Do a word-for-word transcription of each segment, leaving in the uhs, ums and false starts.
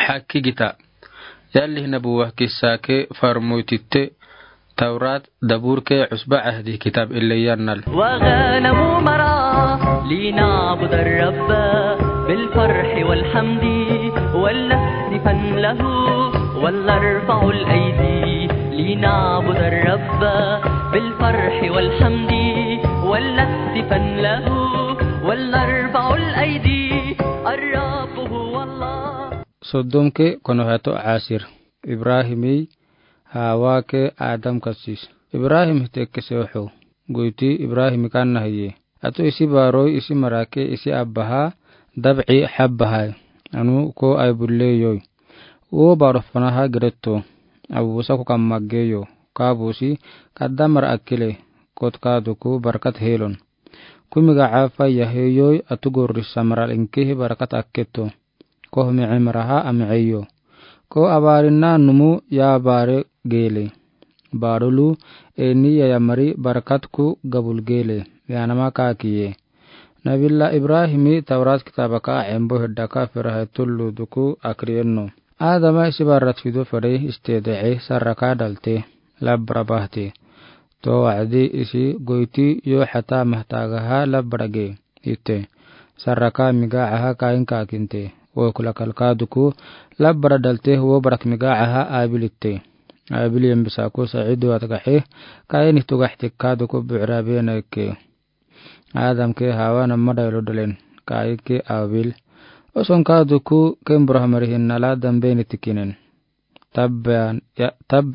Hakkii gita. Yalli nabuwa kissa ke farmoy titte, Tawrat, Dabur ke Usba Ahdi kitab ille yannal. وغنم مرعى لنعبد الرب بالفرح والحمد ولنهتفن له ولنرفع الأيدي لنعبد الرب بالفرح والحمد ولنهتفن له ولنرفع الأيدي الرب هو الله. Soddom ke konohato asir. Ibrahimi Hawa ke Adam kasis. Ibrahim hite kese oho. Guiti Ibrahim kanna hiye. Atu isi baroi isi marake isi abbaha dabci habbaha. Anu ko ai bulle yoi. Wo baro fanaha geretto. Abu busa ko kamma geyo. Kabusi kadda mara akile. Kot kaduku barkat helon. Kumiga afa yahe yoi atu gorri samaral inkihi barkat akketo. Koh mi'i maraha ami'i yo. Ko abarinna numu ya bare gele. Barulu eni ya yamari barakatku gabul gele. Yanama kakiye. Nabila Ibrahimi Tawrat kitabaka embo hiddaka ferahe tullu duku akriyenno. Adama isi barat fido fere istedece saraka dalte. Labra bahte. To wa'adi isi goiti yo hata mahtagaha labra ge. Ite. Saraka miga aha kain kakinte. Wo kula kalka duku labra dalte wo barak miga aha abil ite. Abil yambisaku sa'idu atagahe kain ihtugah tikka duku bu'ra bena ke. Adam ke Hawa namma daylo dalen. Kain ke abil. Oson ka duku kembro hamari hinnala dambeni tikinen. Tab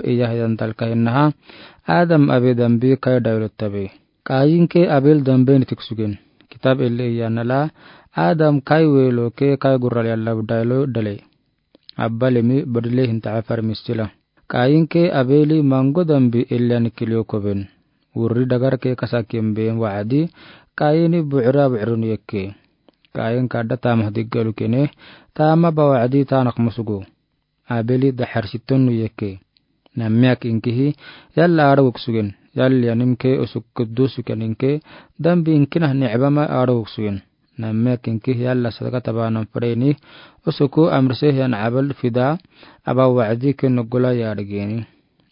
iya hidan talka hinnaha Adam abe dambi kai daylo tabe. Kain ke abil dambeni tiksugen. Kitab ille iya nala Adam kai welo ke kai gurral yalla daylo dale. Abbalemi badile hinta afar mistila. Kain ke abeli mango dambi ille ani kilio koben. Wurri dagar ke kasakin ben wa'adi kaini bu'ra bu'run yekke. Kain kadda tamah diggalu kene tama ba wa'adi tanak musugu. Abeli daxar sittonnu yekke. Nammiak inkihi yalla arawuk sugen. Yalli animke usuk kuddusu keninke dambi inkinah ni'bama arawuk sugen. Nammiak inkihi yalla sadaka tabanan fareni usuku amrise yan abal fida aba wa'adi ke nugula yargeni.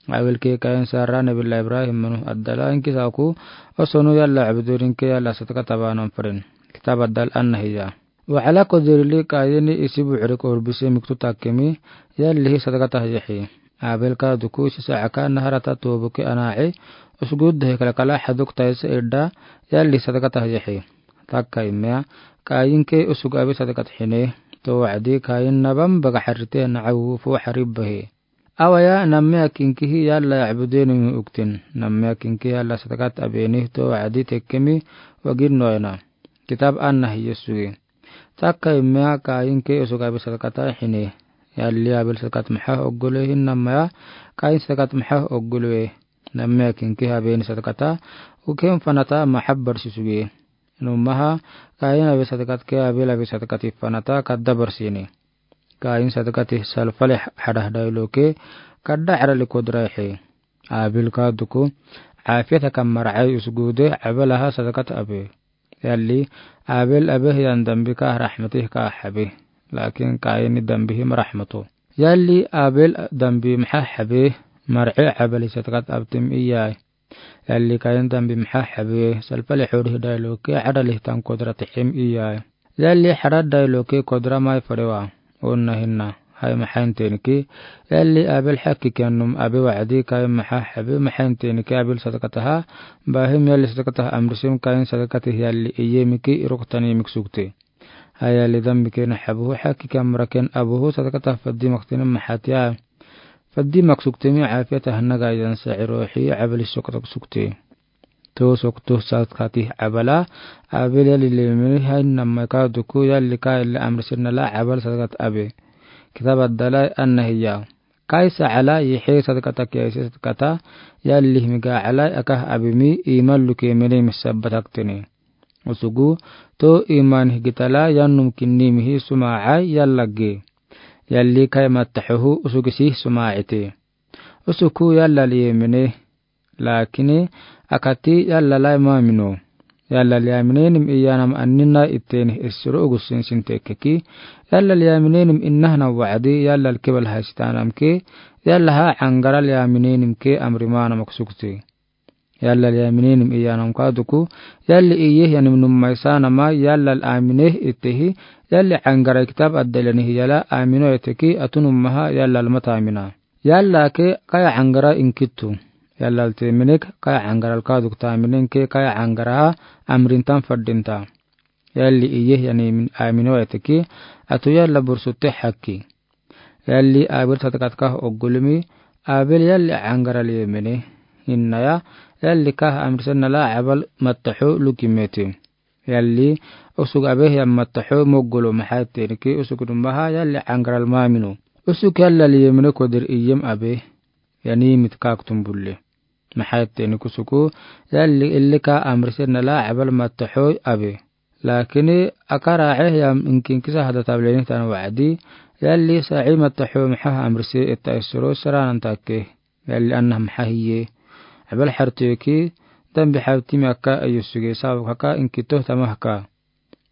Awil ke kain sara nabila Ibrahim manu addala inkisaku usunu yalla abudurinke yalla sadaka tabanan faren. Kitab addal anna hiya. Wa'ala kodirili kaini isi bu'ri korbise miktu takkemi yallihi sadakatah yehi. Abelka duku isi sa'aka naharata tobuke ana'i usuguddehe kalakala haduk taise edda yallihi sadakatah yehi. Takka imea kainke usug abi sadakat hine to wa'adi kain nabam baga harite na'awu fu haribbahe. Awaya nammiak inkihi yalla ya'budeni uktin. Nammiak inkihi yalla sadakat abeni to wa'adi tekkemi wagin noyana. Kitab anna hiyesugi. Takka imea kain ke usug abi sadakata hine. Yalli abil sadakat maha oggole hinnamaya kain sadakat maha oggole. Nammiak inkihi abeni sadakata uken fanata mahabbar sisugi. Numaha kain abi sadakat ke abil abi sadakat ifanata kadda barsini. Kain sadakati salfale hadah daylo ke kadda arali kodra he. Abil ka duku afiyata kam mar'ai usgude abalaha sadakat abe. Yalli abil abe hiyan dambi ka rahmati ka habe. Lakin kaini dambi him rahmato. Yalli abil dambi maha habe mar'ai abali sadakat abtim iyai. Yalli kain dambi maha habe salfale hori daylo ke arali tan kodra tihim iyai. Yalli harad daylo ke kodra mai farewa. Onna hinna. Hai mahain teniki. Yalli abil haki kianum abi wa'adi kain maha habe mahain teniki abil sadakataha. Bahim yalli sadakataha amrisim kain sadakatih yalli iyemiki iruktani miksukti. Hai yalli dambi kena habuhu haki kiamraken abuhu sadakataha faddi maktini mahatiya. Faddi maksuktimi afiyataha naga yan sa'irohi abali sokatak sukti. To sokto sadakati abala abil yalli lemini hain namaka duku yalli ka illa amrisin nala abal sadakat abe. Kitab addalai anna hiya. Kaisa ala yihe sadakata kiyaisi sadakata yalli himiga alai akah abimi iman luke mene misabataktini. Usugu to iman higitala yannum kinnimihi suma'ai yallage. Yalli kai mattahuhu usugisi suma'ite. Usuku yalla liyemene. Lakini akati yalla lai mamino. Yallal yamineenim iyanam anina itenih essiro ugusin sin tekkeki. Yallal yamineenim inahana wacdi yallal kebal haisitanam ke. Yalla ha cangaral yamineenim ke amrimanam aksukti. Yallal yamineenim iyanam kaaduku. Yalli iyeh yanim nummaisanama yallal amineh itehi. Yalli cangarai kitab addailani hiyala amino iteki atu nummaha yallal mata amina. Yalla ke kaya cangara inkitu. Yallal teminik kaya cangaral kaaduk taminen ke kaya cangaraha amrintan fadinta. Yalli iyeh yanim amino iteki. Atu yalla bursutte hakki. Yalli abir sadaqat kah oggulumi. Abir yalli cangaral yemene. Innaya yalli kah amrisen nala abal mattaxo lukimeti. Yalli usug abeh yam mattaxo moggulu maxaitteniki usug numaha yalli cangaral maminu. Usug yallal yemene kodir iyem abeh. Yanimit kaaktum bulle. Maxaittenik usugu yalli illi ka amrisen nala abal mattaxo abe. Lakini akara ceh yam inkinkisa hada tablenihtan wacdi. Yalli saci mattaxo maxaha amrise ita isuro saranan takke. Yalli anah maxahiye. Abal xarteki dambi xabtimi akka ayosuge sabak haka inkitoh tamahka.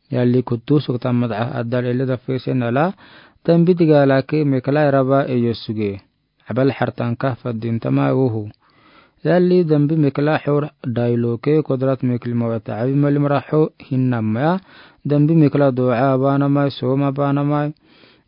Yalli kuttu suktan madca addal ele dafesen nala dambi digalake mekla raba ayosuge. Abal xartanka fadintama uhu. Yalli dambi mekla xor dailoke kodrat mekli mawata abi mali maraxo hinnamaya. Dambi mekla doca abanamai soma abanamai.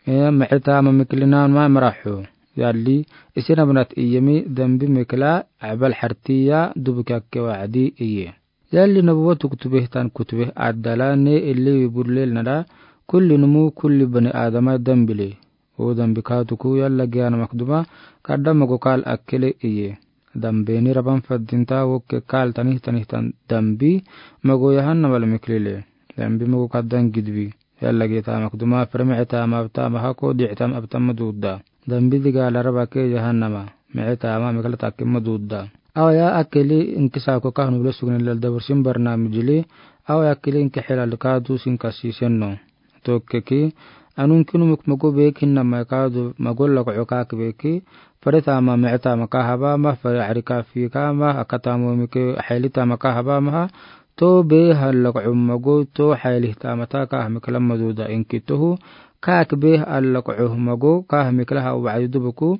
Mecetama meklinanmai maraxo. Yalli isinabnat iyemi dambi mekla abal xartiya dubuki akke wacdi iye. Yalli nabuwa tuktubehtan kutubeh addala ne illi wiburlel nala kulli numu kulli bani adamai dambile. O dambi kaaduku yalla giyanamak duma kadda mago kal akkele iye. Dambeni raban fadinta wokke kal tanihtanihtan dambi mago yahannamal meklile. Dambi mago kaddan gidbi. Yalla gitamak duma fere mecetama abtama hako dictam abtama duda. Dambi digala raba ke yahannama mecetama mekla takkema duda. Awaya akkeli inkisako kahnu bile sugnen lal dabursin barnamijili. Awaya akkeli inki xilal kaadu sin kasisenno. Tokkeki anun kinumuk mago bek hinnamai kaadu mago lagco kak beki. Fere tama mece tama kahaba ma fere cari kafi kama akatamo mike xeli tama kahaba maha. To beh alagco mago to xeli tamata kah mikla maduda inkitohu. Kak beh alagco mago kah miklaha wacdi dubuku.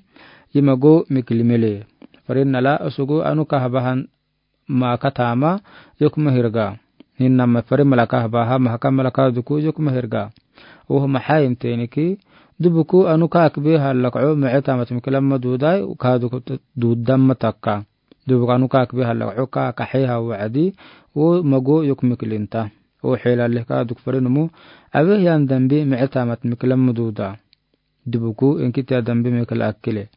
Yi mago mikli mele. Fere nala usugu anu kahabahan ma katama yok mahirga. Hinnama fere mala kahbaha mahaka mala kaaduku yok mahirga. Uhu maxayin teniki. Dubuku anu kak beh alagco mece tamat mikla madudai kaaduku dudama takka. Dubuku anu kak beh alagco kak xeha wacdi. Wo mago yok miklinta. Wo xelaleh kaaduku fere numu. Abeh yan dambi mece tamat mikla maduda. Dubuku inkitiya dambi mekla akkele.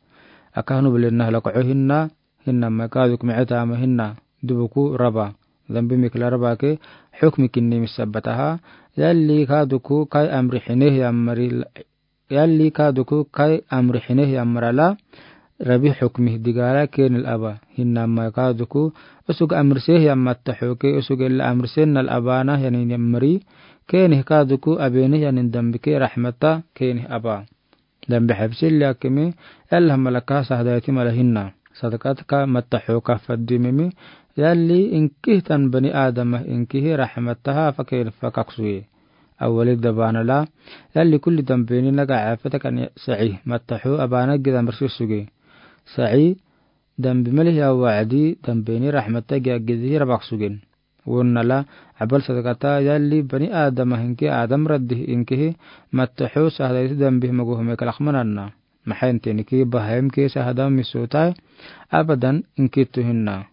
Akahnu bile nahlagco hinna. Hinnamai kaaduku mece tama hinna. Dubuku raba. Dambi mekla raba ke xukmi kinni misabataha. Yalli kaaduku kai amri xineh yammari. Yalli kaaduku kai amri xineh yammarala. Rabi xukmi digala kenil aba. Hinnamai kaaduku usug amriseh yammatta xoke usug illa amrisen nal abana yanin yammari. Kenih kaaduku abeneh yanin dambi ke raxmata kenih aba. Dambi xabsili akkemi. Yalla malaka sahdaiti mala hinna. Sadaqatka mattaxoka fadimimi. Yalli inkihtan bani adama inkihi raxmataha faken fakaksuye. Awali dabanala. Yalli kulli dambeni naga cafetakan saci mattaxo abana gida marsi suge. Saci dambi malihi awacdi dambeni raxmata giya gidihi rabak sugen. Wonnala abal sadaqata yalli bani adama hinki adam raddihi inkihi mattaxo sahdaiti dambihi mago hume kalakmananna. Maxayin teniki bahayim ke sahda misutai. Abadan inkitu hinna.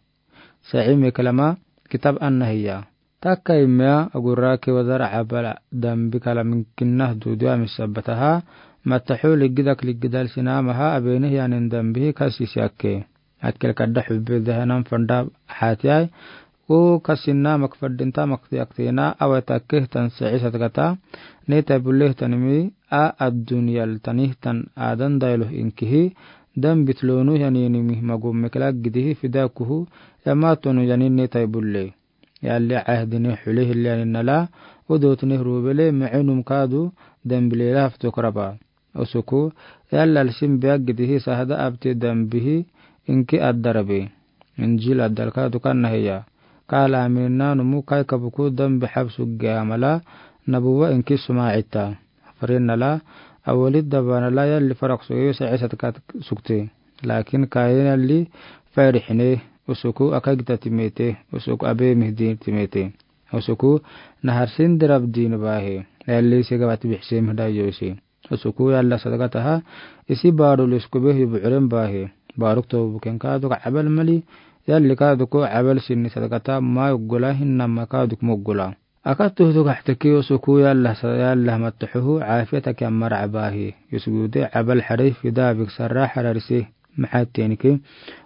Saci meklama kitab anna hiya. Takka imea agura ke wadar abal dambi kala minkinah dudu amisabataha. Mattaxo ligidak ligidal sinamaha abeneh yanin dambihi kasisi akke. Akkel kadda xubbe dahanan fanda xatiyai. Wo kasinna mak fadinta mak tiyaktena awe takkehtan saci sadaqata. Netai bullehtanimi a addunyal tanihtan adan dailoh inkihi. Dambit lonu yaninimi mago mekla gidihi fidakuhu. Yamatonu yanin netai bulle. Yalli cahdini xulehil yanin nala. Udotini rubele mecenum kaadu dambi lela haftok raba. Usuku yallal sin biya gidihi sahda abti dambihi inki addarabe. Injil addalka dukanna hiya. Ka laaminina numu kai kabuku dambi xabsu ge amala nabuwa inki suma ita. Farinala awali dabanala yalli farak suge sa'i sadaqat sukte. Laakin kayin yalli farixine usuku akagita timete, usuku abe mihdi timete. Usuku naharsin dirab din bahe. Yalli sigabat bixse mihda yose. Usuku yalla sadaqataha isi baru liskube yuburen bahe. Baruk to buken kadu ka abal mali yalli kadu ko abal sinni sadaqata ma uggula hinna ma kadu ko muggula. Akatu tu kahtaki usuku yalla sa-, yalla mataxuhu afiyata ki amara abahe. Yusugude abal xarif fida bik sarra xararise. Maxatenike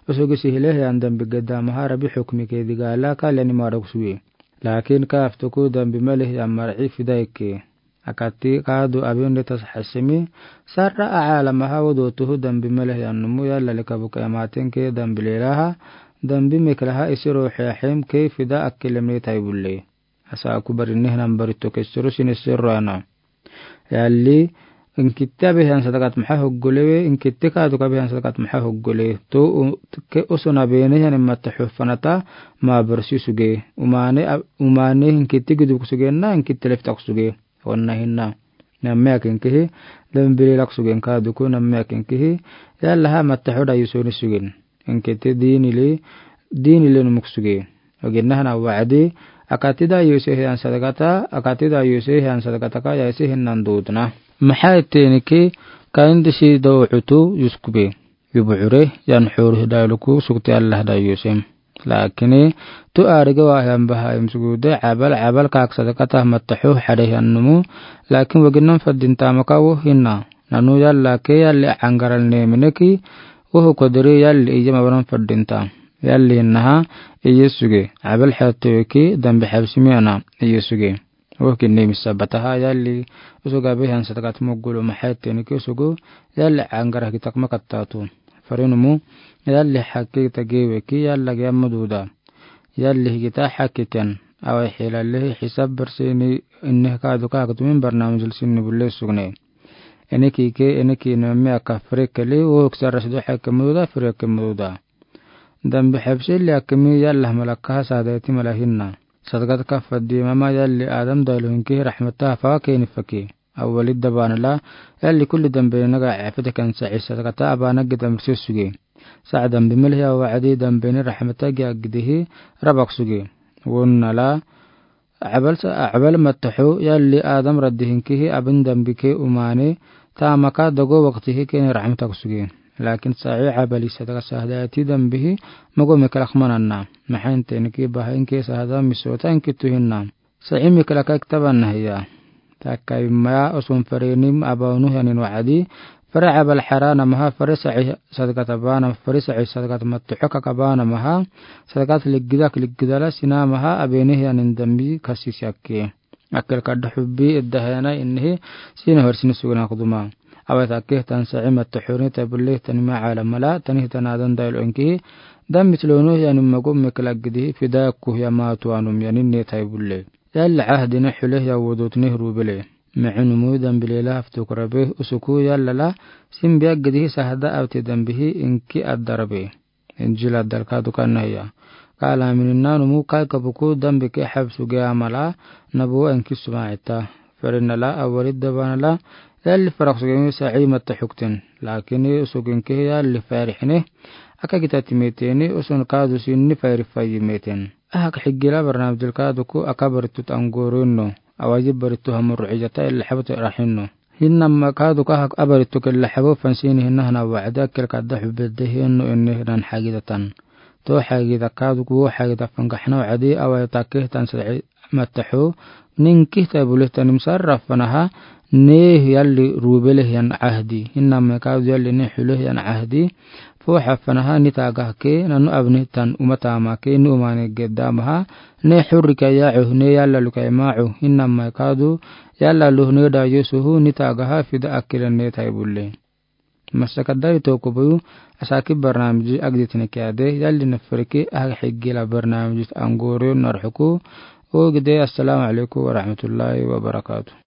usugu sihile yan dambi gedda maha rabi xukmi ke digala kalani maruk suwi. Laakin ka aftuku dambi malih yan mar'i fida ikke. Akati kadu abin de tas xasimi sarra aala maha wudu tuhu dambi malih yan numu yalla lika buka yamaten ke dambi lelaha dambi meklaha isi ruxi axim ke fida akkilemne taibulle. Asa aku barinne hinan barito ke suru sini suru ana. Yalli inkitti abe hiyan sadaqat maha huggule we inkitti kadu ka abe hiyan sadaqat maha huggule. To u-, ke usun abene hiyan mataxu fanata ma barsi suge. Umane ab-, umane inkitti guduk suge na inkitti leftak suge. Onna hinna. Namme akin kihi, lembili lak sugen kaduku namme akin kihi, yalla ha mataxu da yusoni sugen. Inkete dinili, dinili numuk suge. Oginna hana wa'adi, akati da yuse hiyan sadaqata, akati da yuse hiyan sadaqata ka yayse hinnan dudna. Maxa eteni ki, ka indi si do utu yuskube. Yubuxure, yan xuru hidayluku sukti Allah da yusem. Laakini, tu arige wahiyan baha imsugude, abal, abal kak sadaqata mataxu xade hiyan numu, laakin waginan fadinta maka wo hinna. Nanu yalla ke yalli angaral ne mineki, wo hu kodiri yalli iye mabanan fadinta. Yalli hinnaha, iye suge, abal xatte weki, dambi xabsimi ana, iye suge. Wo kinni misa bataha yalli usuga be hiyan sadaqat muggulu maxa eteni ki usugu yalli angara kitak makattatu. Farinumu yalli xakki tagewe ki yalla ge amududa. Yalli higita xakkiten. Awai xilalihi xisab barsini inne kadu kaktumin barnamijil sinni bulle sugne. Ene ki ke, ene ki nome aka frekeli wo kisara sidu xakke mududa, freke mududa. Dambi xabsili akimi yalla malakaha sadeti mala hinna. Sadaqat ka fadi mama yalli Adam dailu hinki raxmata afa keni faki. Awali dabanala yalli kulli dambi naga afite kan sa'i sadaqata abana gidam rse suge. Sa' dambi malih ya wa'adi dambi ni raxmata gi agidihi rabak suge. Wonnala Abal sa-, abal mataxu yalli Adam raddi hinkihi abin dambi ke umane, tamaka dogo waktihi keni raxmatak suge. Laakin sa'i abali sadaqat sahadati dambihi mogo mekalak mananna. Maxa inteni ki baha inke sahada misota inkitu hinna. Sa'i mekalaka kitaban nahiya. Takai maya usun fareni abanu hiyanin wa'adi, fare abal xarana maha, fare sa'i sadaqat abana, fare sa'i sadaqat mataxu kaka abana maha, sadaqat liggidak liggidala sina maha, abene hiyanin dambi kasisi akke. Akil kadda xubbi idda hena innihi, sina horsini sugna kuduma. Awet akke tan sa'i mataxuni tabulle tanima alamala, tani hitan adan dailu inkihi, dambi tilonu hiyanin mogo mekla gidi, fida ku hiya matu anum yanin ne taibulle. Yalla ahdine xule hiya wudutne rubele. Ma'in umu dambi lela haftu kurabe usuku yalla la simbi agidi sahada awti dambihi inki addarabe. Injil addal kadu kanna hiya. Kala minin nanumu kai kabuku dambi ke xabsu ge amala nabu inki suma ita. Ferinala awali dabanala yalli farak suge mi sa'i mataxukten. Lakini usuku inki yalli farixne. Aka gita timeteni usun kadu sinni fari fayi meten. Ahak xigila barnamijil kaduku aka baritut angorino. Awaji baritu hamurru ijata illa xabut raxinno. Hinnama kaduku ahak abarituk illa xabu fansini hinna hana wa'ada akil kadda xubedde hinno inni hinan xagidatan. To xagida kaduku wo xagida fangaxna wa'adi awai takihtan sa'i mataxu. Ninkihta bulihtanim sarra fanaha ne yalli rubeleh yan ahdi. Hinnama kadu yalli ne xuleh yan ahdi. Fo xafanaha ni tagah ke nanu abni tan uma tama ke ni umane gedda maha ne xurri kaya uh ne yalla lukai ma uh hinnama kadu yalla luh ne da yusuhu ni tagaha fida akila ne taibulle. Masaka dari toko buyu asaki barnamiji agdi tini kiyade yalli na firki ah xigila barnamiji angoro narxuku. Ogide assalamu alaikum warahmatullahi wabarakatuh.